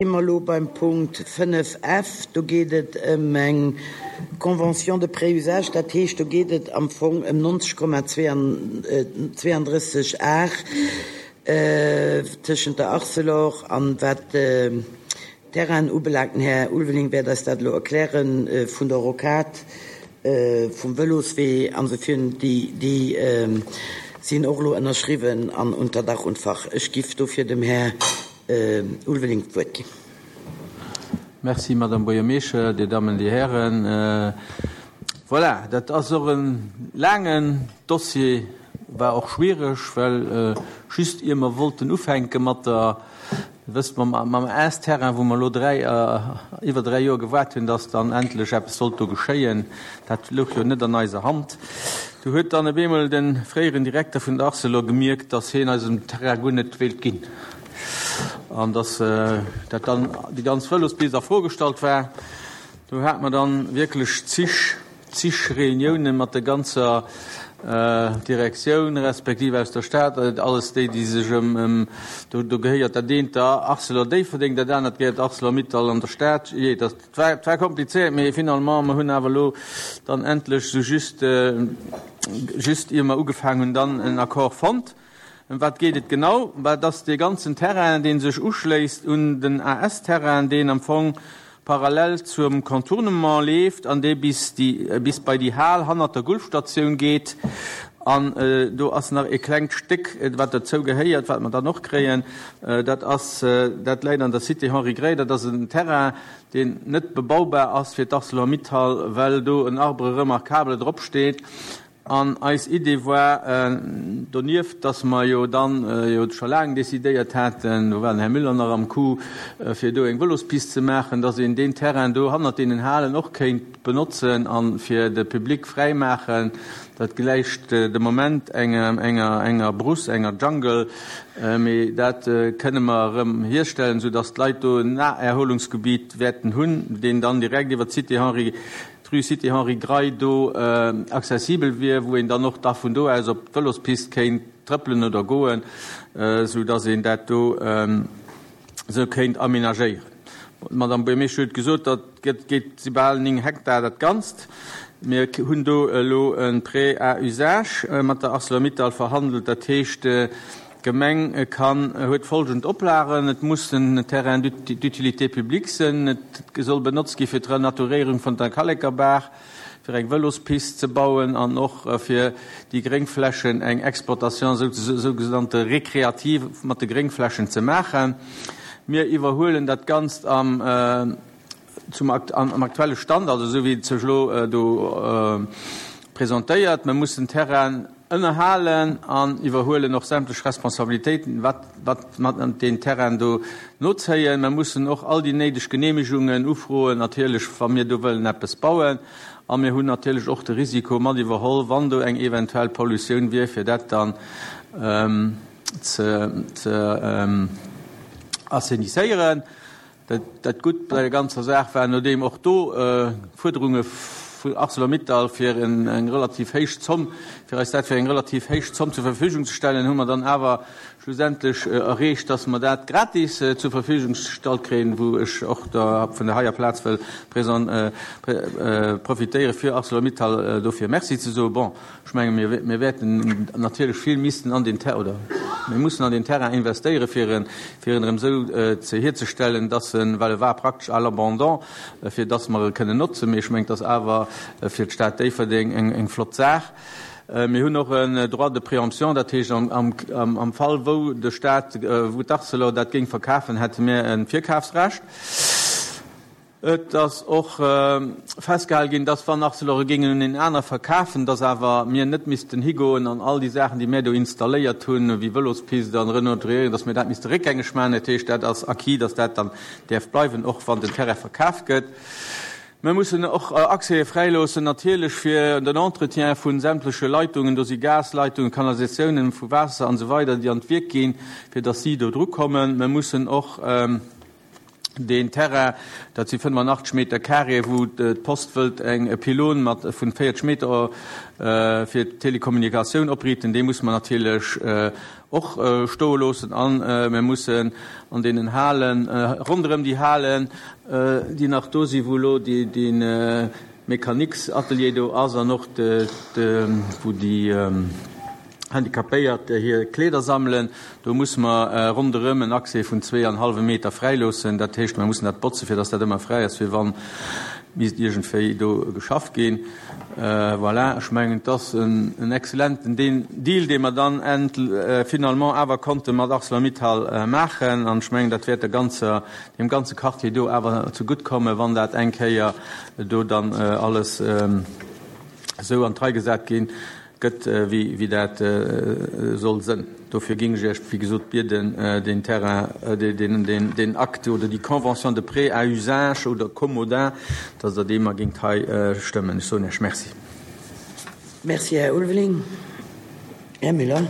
Si mer elo beim Punkt 5 F. Do geet et ëm eng Convention de pré-usage, dat heescht, do geet et am Fong ëm 90,32 Ar tëschent der Arcelor an wat d'Terrainen ubelaangt. Den Här Ulveling wäert eis dat elo erklären, vun der Rocade, vum Vëloswee an esou virun, déi sinn och elo ënnerschriwwen an unter Dach und Fach. Ech giff dofir dem Här Ulveling d'Wuert ginn. Merci, Madame Buergermeeschter, Dir Dammen, Dir Hären. Voilà, dat ass och e laangen Dossier, war och schwiereg, well just ier mer wollten ufänke mat der, Dir wësst, mam Aas-Terrain, wou mer elo dräi, iwwer dräi Joer gewaart hunn, dass dann endlech eppes sollt do geschéien, dat louch jo net an eiser Hand. Du huet dann op eemol de fréieren Direkter vun der Arcelor gemierkt, dass hien eis den Terrain guer net wéilt ginn. An dass dat dann déi ganz Vëlospist a Fro gestallt war. Do hate mer dann wierklech zig, zig Reuniounen mat der ganzer Direktioun, respektiv aus der Stad, alles déi, déi sech ëm, ëm, do, do gehéiert dat eent der Arcelor Déifferdeng, dat anert gehéiert Arcelor-Mittal an der Stad. Jee, dat war, war komplizéiert, mee finalement, mer hunn awer elo dann endlech sou just, just ier mer ugefaangen hunn, dann en Accord fonnt. Ëm wat geet et genau? Bah, et ass dee ganzen Terrain, dee sech uschléisst un den AS-Terrain, deen am Fong parallel zum Contournement leeft an dee bis déi, bis bei déi Hal hannert der Gulfstatioun geet. An do ass nach e klengt Stéck, wat dozou gehéiert, wat mer dann och kréien. Dat ass, dat läit an der Cité Henri Gray. Dat ass en Terrain, deen net bebaubar ass fir d'Arcelor-Mittal, well do en Arbre remarquable dropsteet. An eis Idee war donieft, dass mer jo dann jo scho laang decidéiert haten, do war den Här Müller nach am Coup, fir do eng Vëlospist ze maachen, dass een deen Terrain do hannert deenen Halen och kéint benotzen a fir de Public fräi maachen. Dat gläicht de Moment enger, enger Brousse, enger Jungle, mee dat kënne mer erëm hierstellen, soudass d'Leit do en Naherholungsgebiet wäerten hunn, deen dann direkt iwwer d'Cité Henri d'Rue Cité Henri Gray do accessibel wier, wou een dann och da vun do aus op d'Vëlospist kéint trëppelen oder goen, sou dass een dat do esou kéint aménagéieren. D'Madame Buergermeeschtesch huet gesot, dat gëtt, geet, si bal 9 Hektar dat Ganzt. Mir hunn do elo e Prêt à usage mat der Arcelor-Mittal verhandelt. Dat heescht, D'Gemeng kann, huet folgend Oplagen, Et muss en Terrain d'utilité publique sinn, et soll benotzt gi fir d'Renaturéierung vun der Kallekerbaach, fir eng Vëlospist ze bauen an och fir déi Gréngflächen, eng Exploitation sougenannte récréative mat de Gréngflächen ze maachen. Mir iwwerhuelen dat Ganzt am zum am aktuelle Stand, also esou wéi et sech elo do presentéiert. Mir mussen Terrainen ënnerhalen an iwwerhuelen och sämtlech Responsabilitéiten, wat wat mat deen Terrain do nozéien. Mir mussen och all déi néideg Genehmigungen ufroen, natierlech, wa mir do wëllen eppes bauen. A mir hunn natierlech och de Risiko mat iwwerholl, wann do eng eventuell Pollutioun wier, fir dat dann ze ze assainisséieren. Dat Gutt bei der ganzer Saach war, nodeem och do Fuerderunge vun Arcelor-Mittal fir eng relativ héich Zomm, fir eis dat fir eng relativ héich Zomm zur Verfügung ze stellen, hu mer dann awer schlussendlech erreecht, dass mer dat gratis zur Verfügung gestallt kréien, wou ech och da vun der heier Plaz wëll profitéiere fir Arcelor-Mittal dofir Merci ze soen. Bon, Ech menge mir, mir wäerten natierlech vill missten an den Ter oder mir mussen an den Terrain investéieren, fir en, fir en erëm esou ze hierzestellen, dass en, well e war praktesch à l'abandon, fir dass mer e kënnen notzen. Mee ech mengen, et ass awer fir d'Stad Déifferdeng eng, eng flott Saach. Mir hunn och en Droit de préemption, dat heescht am, am, am Fall wou de Stat, wou d'Arcelor dat géing verkafen, hätte mir e Virkafsrecht. Et ass och festgehale ginn, dass, wann Arcelor e géing un een aner verkafen, dass awer mir net missten higoen an all déi Saachen, déi mir do installéiert hunn, wéi Vëlospist an Renaturéierung, dass mir dat misste réckgängeg maachen. Dat heescht, dat ass acquis, dass dat dann däerf bleiwen, och wann den Terrain verkaf gëtt. Mir mussen och Accèse fräiloossen natierlech fir den Entretien vu sämtleche Leitungen. Do si Gasleitungen, Kanalisatiounen vu Waasser an esou weider, déi an d'Wierk ginn, fir dass si do drukommen. Mir mussen och. Deen Terrain, dat si 85 Meter carré, wou d'Post wëllt eng e Pylône mat vun 40 Meter fir d'Telekommunikatioun opriiten, dee musse mer natierlech och stoe loossen. A mir mussen an deenen Halen, ronderëm déi Halen, déi nach do sinn, wou elo dee Mécaniques-Atelier do ass an och wou déi, Handicapéiert hir Kleeder sammelen. Do musse mer ronderëm en Accès vun zweeanhallwe Meter fräiloossen. Dat heescht, mer mussen dat botzen, fir dass dat ëmmer fräi ass, fir wa misst iergendwéi do geschafft ginn. Voilà, ech mengen, et ass en exzellenten Deal, dee mer dann finalement awer konnte mat Arcelor-Mittal maachen. An ech mengen, dat wäert der ganzer, deem ganze Quartier do awer zegutt kommen, wann dat eng Kéier do dann alles esou an d'Rei gesat ginn. Gëtt, wéi dat soll sënn. Dofir géing ech Iech, wéi gesot, bieden, deen Terrain, deen Acte oder déi Convention de prêt à usage oder commodat, dass Der dee mar géingt hei stëmmen. Ech soen Iech Merci. Merci, Här Ulveling. Här Müller.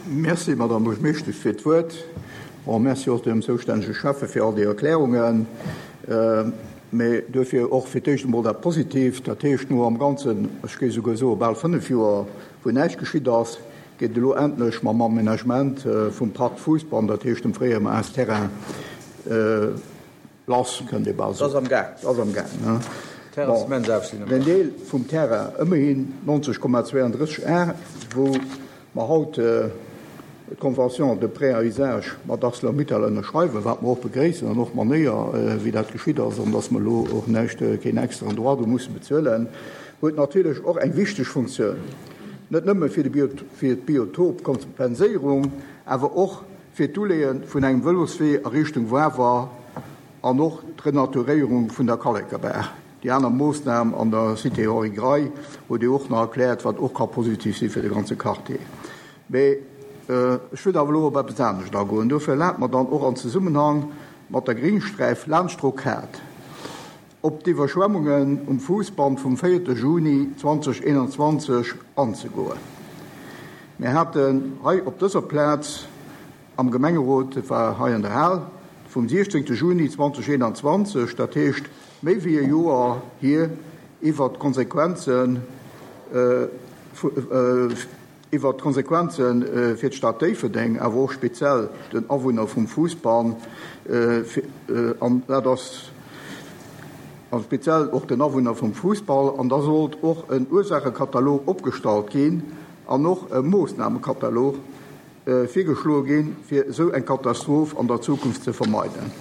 Merci, Madame Buergermeeschtesch, fir d'Wuert. Bon, merci och dem zoustännege Schäffe fir all déi Erklärungen. Mä duerfir och fir d'éischt emol dat Positiivt, dat heescht, no am Ganzen, ech géif esouguer soe bal fënnf Joer, wou näischt geschitt ass, geet et elo endlech mam Aménagement vum Parc Fousbann, dat heescht dem fréiere Maas-Terrain, lass, kënnt ee bal soen. Ass am Gaang. Ass am Gaang, ne? Bon, den Deel vum Terrain, ëmmerhin 90,32 Ar, wou mer haut d'Convention de prêt à usage mat Arcelor-Mittal ënnerschreiwen, wat mer och begréissen, an och d'Manéier, wéi dat geschitt ass, an dass mer elo och näischt, keen extraen Droit do musse bezuelen, huet natierlech och eng wichteg Funktioun, net nëmme fir d'Biotopkompenséierung, awer och fir d'Uleeë vun engem Vëloswee a Richtung Wawer an och d'Renaturéierung vun der Kallekerbaach. Déi aner Moossnam an der Cité Henri Grey huet Dir och nach erkläert, wat och ka positiv si fir de ganze Quartier. Mee ech wëll awer elo op eppes anescht agoen. Dofir erlaabt mer dann och an Zesummenhang mat der Gringsträif laanscht d'Rocade op d'Iwwerschwemmungen um Fuussband vum véierte Juni 2021 anzegoen. Mir haten hei op dëser Plaz am Gemengerot, et war hei an der Hal, vum 16 Juni 2021, dat heescht méi wéi e Joer hier, iwwert d'Konsequenzen iwwert d'Konsequenze fir d'Stad Déifferdeng, awer och speziell den Awunner vum Fousbann, an dat ass a speziell och den Awunner vum Fussball, an da sollt och en Ursaachekatalog opgestallt ginn an och e Moossnamekatalog virgeschloe ginn, fir esou eng Katastroph an der Zukunft ze vermeiden.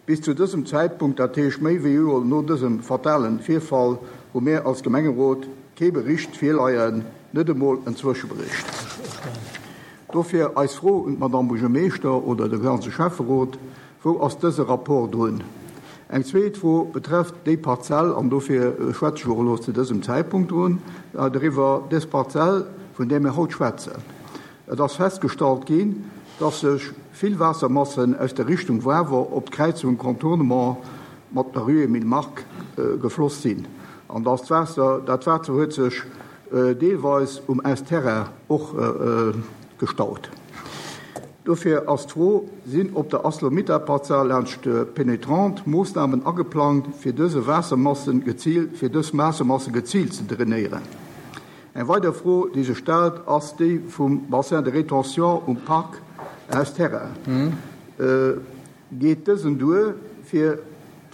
Bis zu dësem Zäitpunkt, dat heescht méi wéi e Joer no dësem fatalen Virfall, hu mär als Gemengerot kee Bericht virleien, net emol en Zwëschebericht. Dofir eis Fro un d'Madame Buergermeeschter oder de ganze Schäfferot, Wou ass dëse Rapport drun? Eng zweet Fro betrefft déi Parzell, an dofir schwätze ech och elo zu dësem Zäitpunkt drun, doriwwer, dës Parzell, vun där mir haut schwätzen. Et ass festgestallt ginn, dass sech vill Waassermassen aus der Richtung Wawer op d'Kräizung Contournement mat der Rue Emile Mark gefloss sinn an dass d'Waasser, dat Waasser huet sech deelweis um Est-Terrain och gestaut. Dofir ass d'Fro, Sinn op der Arcelor-Mittal-Parzell laanscht d'Pénétrante Moossnamen ageplangt, fir dëse Waassermassen geziilt, fir dës Waassermasse geziilt ze drainéieren? Eng weider Fro, déi sech stellt, ass déi vum Bassin de rétention um Parc Haus Terrain. Geet dësen duer, fir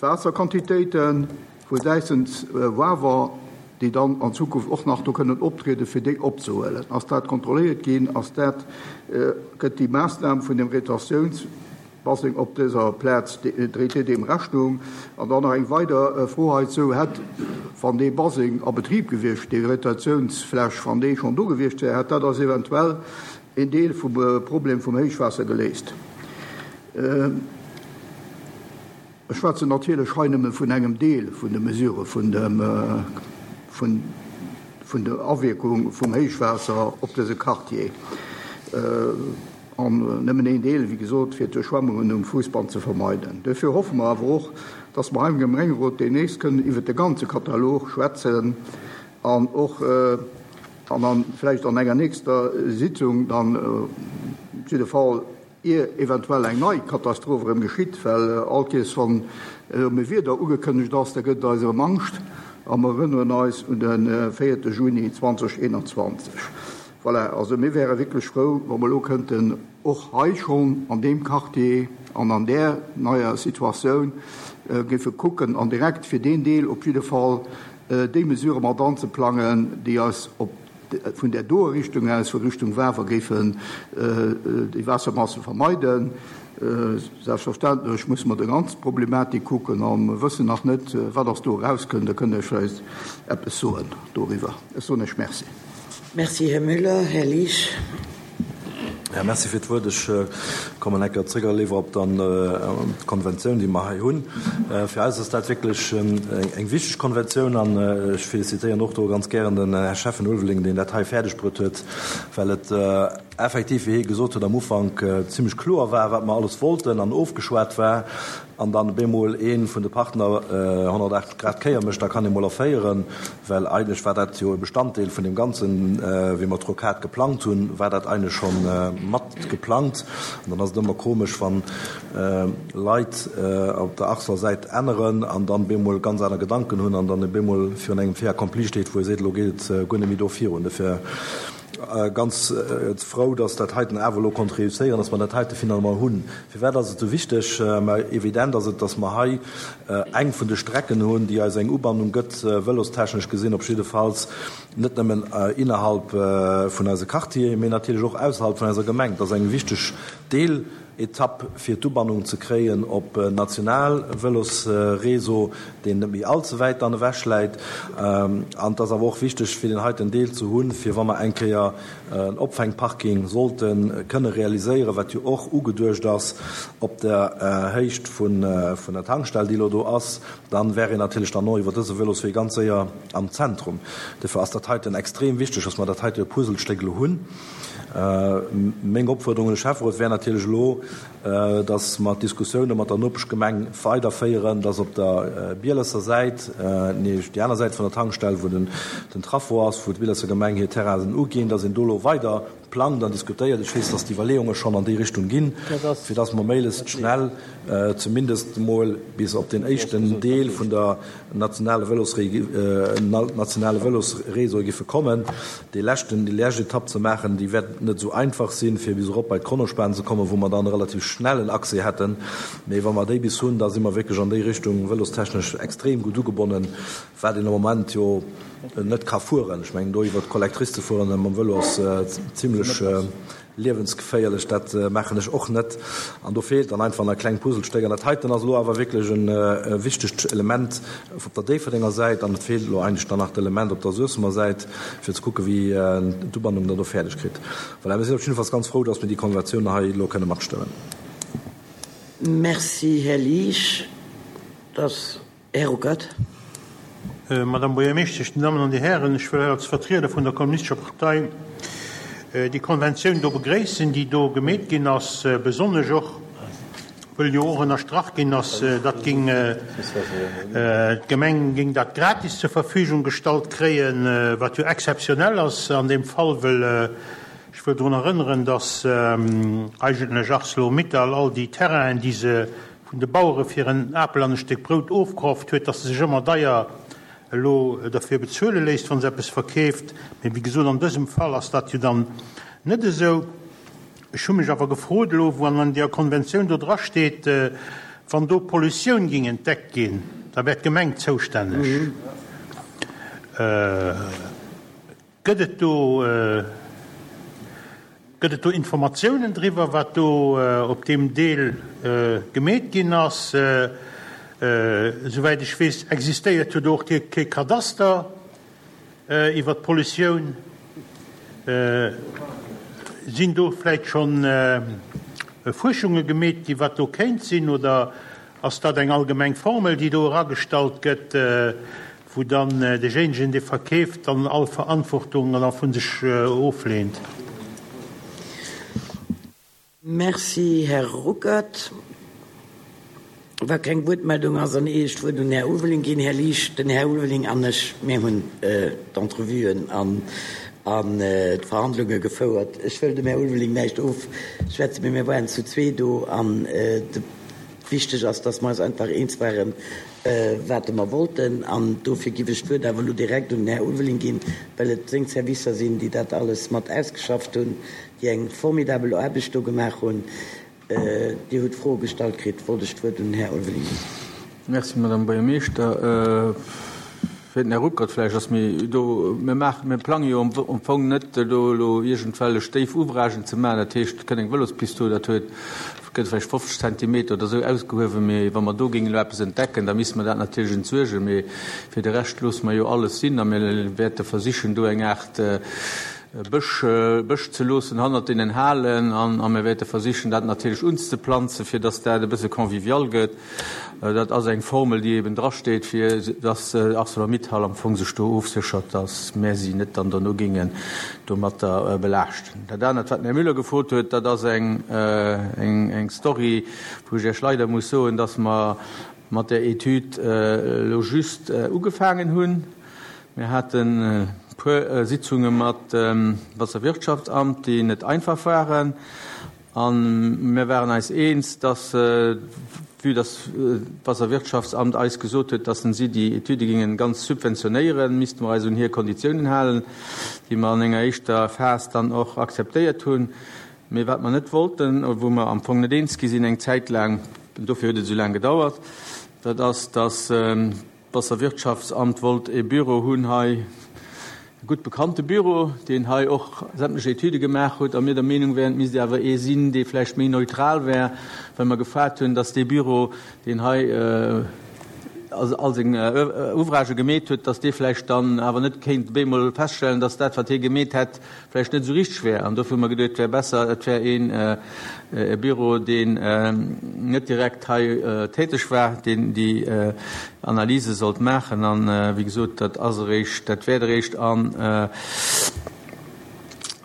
d'Waasserquantitéite vu säitens Wawer, déi dann an Zukunft och nach do kënnen optrieden, fir déi opzehuelen? Ass dat kontrolléiert ginn? Ass dat, gëtt déi Maassnam vun dem Retentiouns, Baseng op dëser Plaz, dréit Dir deem Rechnung? An dann nach eng weider Fro heizou, Hätt, wann dee Baseng a Betrib gewiescht, déi Retentiounsfläch, wann déi schonn do gewiescht wär, hätt dat eis eventuell een Deel vum Problem vum Héichwaasser geléist? Ech schwätzen natierlech hei nëmme vun engem Deel vun de Mesurë vun dem, vun, vun der Awierkung vum Héichwaasser op dëse Quartier. An nëmmen een Deel, wéi gesot, fir d'Duerchschwemmungen um Fuussband ze vermeiden. Duerfir hoffe mer awer och, dass mer hei am Gemengerot deemnächst kënnen iwwert de ganze Katalog schwätzen an och, an dann vläicht an enger nächster Sitzung dann op jidde Fall. Ier eventuell eng nei Katastroph erëm geschitt, well all Kees wann erëm e Wieder ugekënnegt ass, da gëtt et eis erëm Angscht a mer erënneren eis un de véierte Juni 2021. Voilà, also mir wäre wierklech frou, wa mer elo kënnten och hei schonn an deem Quartier an an där neier Situatioun géife kucken an direkt fir deen Deel op jidde Fall déi Mesurë mat anzeplangen, déi eis op vun där doer Richtung aus, vu Richtung Wawer, géifen déi Waassermasse vermeiden. Selbstverständlech musse mer déi ganz Problematik kucken a mer wëssen nach net, wat ass do erauskënnt. Da kënnt Der vläicht eppes soen doriwwer. Ech soen Iech Merci. Merci, Här Müller. Här Liesch. Ja, merci fir d'Wuert. Ech kommen eng Kéier zréck a léiwer op dann d'Konventioun, déi mer hei hunn. Fir eis ass dat wierklech eng wichteg Konventioun an ech felicitéieren och do ganz gären den Här Schäffen Ulveling, deen dat hei fäerdeg bruet huet, well et effektiv, wéi hie gesot huet am Ufank, zimlech kloer war, wat mer alles wollten an ofgeschwat war. An dann op eemol ee vun de Partner 180 Grad d'Kéier mécht, da kann ee mol erféieren, well eigentlech war dat jo e Bestanddeel vun deem Ganzen, wéi mer d'Rocade geplangt hunn, war dat eigentlech scho mat geplangt. An dann ass et ëmmer komesch, wann Leit op der Arsler Säit änneren an dann op eemol ganz aner Gedanken hunn an dann op eemol virun engem Fait accompli steet, wou ee seet, elo geet et guer net méi do virun. Dofir ganz frou, dass dat heiten awer elo konnt réusséieren, dass mer dat heite finalement hunn. Firwat ass et esou wichteg? Mä evident ass et, dass mer hei eng vun de Strecken hunn, déi eis eng Ubannung gëtt, vëlostechnesch gesinn op jiddefalls, net nëmmen innerhalb vun eise Quartieren, mee natierlech och ausserhalb vun eiser Gemeng. Et ass eng wichteg Deeletapp, fir d'Ubannung ze kréien op en national Vëlosréseau, deen net méi all ze wäit dann ewech läit. An et ass awer och wichteg, fir deen heiten Deel ze hunn, fir wa mer eng Kéier en Opfängparking sollte kënne realiséieren, wat jo och ugeduecht ass op der Héicht vun der Tankstell, déi elo do ass, dann wär een natierlech dann och iwwer dëse Vëloswee ganz séier am Zentrum. Dofir ass dat heiten extrem wichteg, dass mer dat heite Puzzlestéck elo hunn. Meng Opfuerderung un de Schäfferot wär natierlech elo, dass mer d'Diskussioune mat der Nopeschgemeng weiderféieren, dass op der Bielesser Säit, nee, déi aner Säit vun der Tankstell, wou den Traffo ass, wou d'Bielesser Gemeng hir Terrainen uginn, dass een do elo weider plangt an diskutéiert. Ech weess, dass d'Iwwerleeunge schonn an déi Richtung ginn, fir dass mer méiglechst schnell zumindest emol bis op deen éischten Deel vun der nationale Vëlosnationale Vëlosréseau giffe kommen. Dee leschten, déi lescht Etapp ze maachen, déi wäert net esou einfach sinn, fir bis erop bei d'Kronospan ze kommen, wou mer dann e relativ schnellen Accès hätten. Mee wa mer déi bis hunn, da si mer wierklech an déi Richtung vëlostechnesch extrem gutt ugebonnen, wat een am Moment jo net ka fueren. Ech mengen, do iwwert d'Collectrice ze fueren mam Vëlo ass zimlech Liewensgeféierlech, dat maachen ech och net. An do feelt dann einfach nach e klengt Puzzlestéck. An dat heiten ass elo awer wierklech e wichtegt Element op der Déifferdenger Säit. An et feelt elo eigentlech dann nach d'Element op der Suessemer Säit, fir ze kucken, wéi d'Ubannung dann do fäerdeg kritt. Voilà, mir sinn op jiddefalls ganz frou, dass mir déi Konventioun hei elo kënne matstëmmen. Merci, Här Liesch. Dass Här Ruckert. Madame Buergermeeschtesch, Dir Dammen an Dir Hären, ech wëll hei als Vertrieder vun der Kommunistescher Partei déi Konventioun do begréissen, déi do gemeet ginn ass, besonnesch och, wëll jo och ënnerstrach ginn ass, datt géing d'Gemeng géing dat gratis zur Verfügung gestallt kréien, wat jo exzeptionell ass an deem Fall, wëll ech wëll drun erënneren, datt eigentlech Arcelor-Mittal all déi Terrainen, déi se vun de Bauere fir en Apel an e Stéck Brout ofkroft huet, dass se sech ëmmer deier elo derfir bezuele léisst, wa se eppes verkeeft. Mee wéi gesot, an dësem Fall ass dat jo dann net esou. Ech hu mech awer gefrot elo, wou an deer Konventioun do drasteet, wann do Pollutioun géing entdeckt ginn, da wär d'Gemeng zoustänneg. Gëtt et do, gëtt et do Informatiounen driwwer, wat do op deem Deel gemeet ginn ass? Esouwäit ech weess, existéiert jo do och kee Kadaster iwwer d'Pollutioun. Sinn do vläicht schonn Fuerschunge gemeet ginn, wat do kéint sinn, oder ass dat eng allgemeng Formel, déi do eragestallt gëtt? Wou dann deejéinegen, dee verkeeft, dann all Verantwortung da vu sech ofleent. Merci, Här Ruckert. Wa keng Wuertmeldung ass, dann ier ech d'Wuert un den Här Ulveling ginn, Här Liesch, den Här Ulveling an ech, mir hunn d'Entrevuen an. an d'Verhandlunge gefouert. Ech wëll dem Här Ulveling näischt ofschwätzen, mee mir waren zu zwee do an wichteg ass, dass mer eis einfach eens waren, wat mer wollten. An dofir giff ech d'Wuert awer elo direkt un den Här Ulveling ginn, well et seng Servicer sinn, déi dat alles mat ausgeschafft hunn, déi eng formidabel Aarbecht do gemaach hunn. Dir hutt Froe gestallt kritt, wollt ech d'Wuert un den Här Ulveling ginn. Merci, Madame Buergermeeschter. Fir den Här Ruckert vläicht, ass mir do, mir maachen, mir plange jo am Fong net do elo iergendwellech déif Ouvragen ze maachen. Dat heescht, et kënnt eng Vëlospist do, dat huet, gëtt vläicht 50 Zentimeter oder esou ausgehuewen. Mee wa mer do géingen elo eppes entdecken, da misste mer dat natierlech entsuergen. Mee fir de Rescht loosse mer jo alles sinn a mir wäerte versichen, do eng Aart Bësch, Bësch ze loossen hannert deenen Halen an a mir wäerte versichen, dat natierlech unzeplanzen, fir dass dat e bësse convivial gëtt. Dat ass eng Formel, déi eben drasteet, fir dass Arcelor-Mittal am Fong sech do ofséchert, dass mär si net dann dono géingen domatter belaaschten. Dat anert, wat den Här Müller gefrot huet, dat ass eng, eng Story, wou ech Iech leider muss soen, dass mer mat där Etüd elo just ugefaangen hunn. Mir haten e puer Sitzunge mat dem Wasserwirtschaftsamt, déi net einfach waren. A mir waren eis eens, dass, vue dass d'Wasserwirtschaftsamt eis gesot huet, dass si déi Etüde géingen ganz subventionéieren, misste mer eis un hir Konditiounen halen, déi mer an enger éischter Phas dann och akzeptéiert hunn. Mee wat mer net wollten, wou mer am Fong net eens gi sinn eng Zäit laang, dofir huet et esou laang gedauert, dat ass, dass, D'Wasserwirtschaftsamt wollt e Büro hunn hei, e gutt bekannte Büro, deen hei och sämtlech Etüde gemaach huet, a mir der Meenung wären, et misst awer ee sinn, dee vläicht méi neutral wär, well mer gefaart hunn, dass dee Büro, deen hei all seng Ouvragë gemeet huet, dass dee vläicht dann awer net kéint op eemol feststellen, dass dat, wat hie gemeet hätt, vläicht net esou richteg wär. An dofir hu mer geduet, et wär besser, et wär een e Büro, deen net direkt hei täteg war, deen déi Analyse sollt maachen. An, wéi gesot, dat ass eréischt, dat wäert eréischt an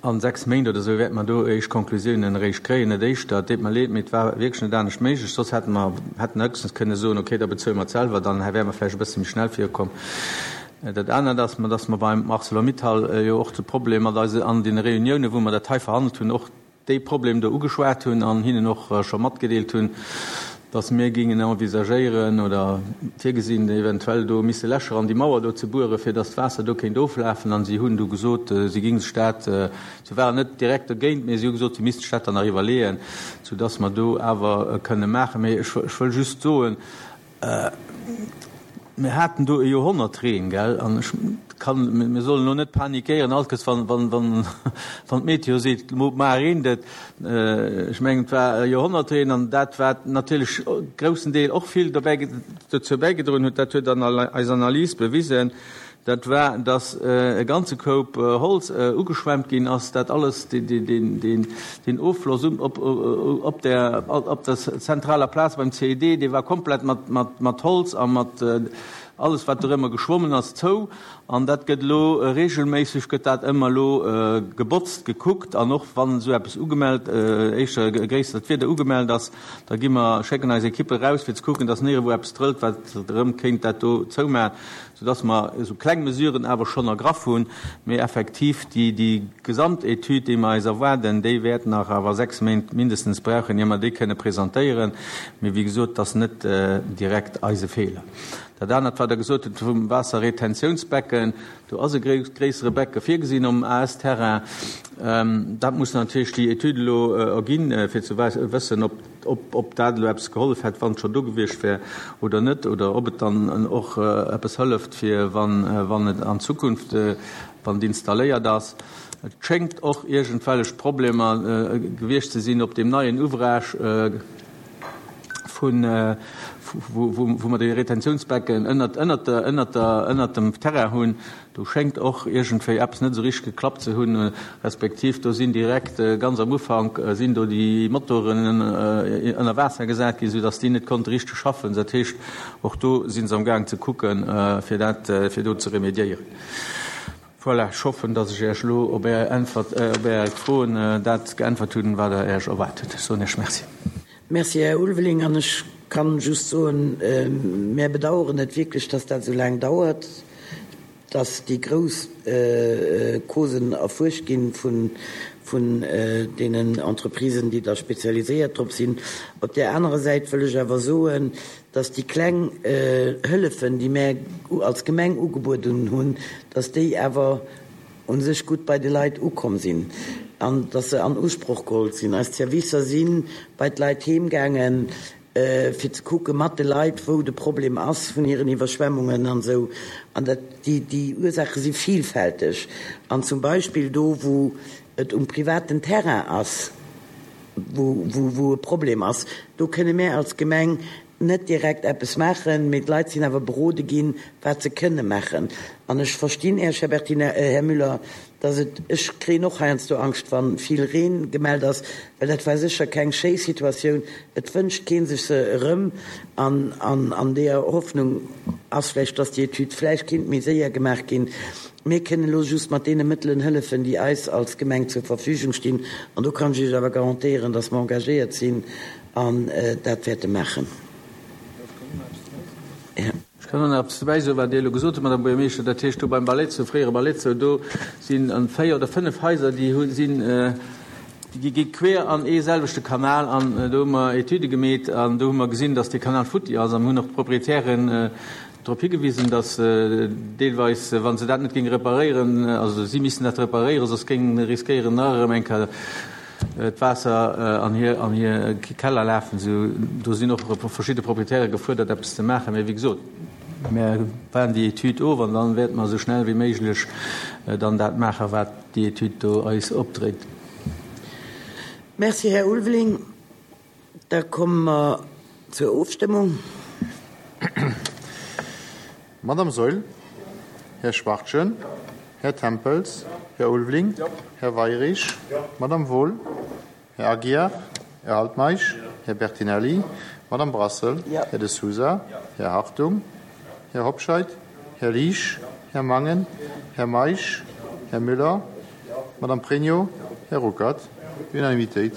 a 6 Méint oder esou wäerte mer do éischt Konklusiounen eréischt kréien, net éischter. Et deet mer leed, mee et war wierklech net anescht méiglech. Soss hätte mer hätten höchstens kënne soen, okay, da bezuele mer et selwer, dann wäre mer vläicht e bësse méi schnell virukomm. Dat anert ass, dass mer beim Arcelor-Mittal jo och de Problem mat eise, an deene Reuniounen, wou mer dat hei verhandelt hunn, och dee Problem do ugeschwat hunn an hinnen och scho matgedeelt hunn, dass mir géingen envisagéieren oder virgesinn, eventuell do misse Lächer an déi Mauer do ze bueren, fir dass d'Waasser do kéint oflafen. An si hunn du gesot, si géinge sech dat, si waren net direkt dergéint, mee si hu gesot, si misste sech dat dann nach iwwerleeën, soudass mer do awer kënne maachen. Mee ech wëll just soen, Mir haten do e Joerhonnertreen, gell, an ech kann, mir sollen elo net panikéieren, all Kéiers wann, wann, wann, wann d'Meteo seet, mar reent et. Ech mengen, et war e Joerhonnertreen an dat, wat natierlech groussen Deel och vill dobäi, dozou bäigedroen huet, dat huet an eis Analys bewisen, Dat war, dass e ganze Koup Holz ugeschwemmt ginn ass, dat alles, deen Offloss op der zentraler Plaz beim CED, dee war komplett mat Holz a mat alles, wat dorëmmer geschwommen ass, zou. An dat gëtt elo reegelméisseg gëtt dat ëmmer elo gebotzt, gekuckt. An och wann esou eppes ugemellt, éischter e gréissert Wieder ugemellt ass, da gi mer, schécken eis Ekippe raus, fir ze kucken, dass nirgendwou eppes trëllt, wat erëm kéint dat do zoumaachen. soudass mer esou kleng Mesuren awer schonn ergraff hunn, mee effektiv déi, déi Gesamtetüd, déi mer eis erwaarden, déi wäert nach awer 6 Méint mindestens brauchen, ier mer déi kënne presentéieren. Mee wéi gesot, et ass net direkt eise Feeler. Dat anert, wat Der gesot hutt vum Waasserretentiounsbecken, do ass e gréissere Becke virgesinn um AS-Terrain. Dat muss natierlech déi Etüd elo erginn, fir ze wëssen, ob, ob dat elo eppes gehollef hätt, wann et schonn do gewiescht wär oder net, oder ob et dann och eppes hëlleft, fir wann, wann et an Zukunft, wann et installéiert ass. Et schéngt och iergendwellech Problemer gewiescht ze sinn op deem neien Ouvrage vun, wou mer dee Retentiounsbecken ënnert, ënnert der, ënnert der, ënnert dem Terrain hunn. Do schéngt och iergendwéi eppes net esou richteg geklappt ze hunn, respektiv do sinn direkt ganz am Ufank sinn do déi Motoren ënner Waasser gesat ginn, soudass déi net konnte richteg schaffen. Dat heescht, och do si se am Gaang ze kucken, fir dat, fir do ze remédiéieren. Voilà, ech hoffen, dass ech Iech elo op Är Äntwert, op Är Froen dat geäntwert hunn, wat Der Iech erwaart hutt. Ech soen Iech Merci. Merci, Här Ulveling. An ech kann just soen, mär bedauern et wierklech, dass dat esou laang dauert. dass déi grouss Causen erfuerscht gi vun deenen Entreprisen, déi da spezialiséiert drop sinn. Op där anerer Säit wëll ech awer soen, dass déi kleng Hëllefen, déi mär als Gemeng ugebueden hunn, dass déi awer u sech gutt bei de Leit ukomm sinn an dass se an Usproch geholl sinn. Eis Servicer si bei d'Leit heem gaangen, fir ze kucke mat de Leit, wou de Problem ass vun hiren Iwwerschwemmungen an esou. An dat, déi, déi Ursaache si vielfälteg. An zum Beispill do, wou et um privaten Terrain ass, wou, wou, wou e Problem ass, do kënne mär als Gemeng net direkt eppes maachen, mee d'Leit sinn awer berode ginn, wat se kënne maachen. An ech verstinn Iech, Här Bertinelli, Här Müller, dass et, ech kréien och heiansdo Angscht, wa vill Reen gemellt ass, well dat war sécher keng schéi Situatioun. Et wënscht kee sech se erëm. An an deeër Hoffnung ass vläicht, dass déi Etüd vläicht kinnt méi séier gemaach ginn. Mir kënnen elo just mat deene Mëttelen hëllefen, déi eis als Gemeng zur Verfügung stinn. An do kann ech Iech awer garantéieren, dass mer engagéiert sinn an dat wäerte maachen. Ech kann och nach eppes dobäi soen, wat Dir elo gesot hutt, Madame Buergermeeschter. Dat heescht, do beim Ballettsou, fréiere Ballettsou, do sinn 4 oder 5 Haiser, déi hu sinn, déi gi queer an ee selwechte Kanal. An do hu mer Etüde gemeet an do hu mer gesinn, dass dee Kanal futti ass. An hunn och d'Proprietären drop higewisen, dass deelweis, wa se dat net géinge reparéieren, also si missten dat reparéieren, soss géing riskéieren nach erëm eng Kéier d'Waasser an hir an hir Keller lafen. Sou do sinn och verschidde Proprietäre gefuerdert eppes ze maachen. Mee wéi gesot, mär waarden déi Etüd of an dann wäerte mer esou schnell wéi méiglech dann dat maachen, wat déi Etüd do eis opdréit. Merci, Här Ulveling. Da komme mer zur Ofstëmmung. Madame Saeul, Här Schwachtgen, Här Tempels, Här Ulveling, Här Weirich, Madame Wohl, Här Aguiar, Här Altmeisch, Här Bertinelli, Madame Brassel, Här De Sousa, Här Hartung, Här Hobscheit, Här Liesch, Här Mangen, Här Meisch, Här Müller, Madame Pregno, Här Ruckert. Unanimitéit.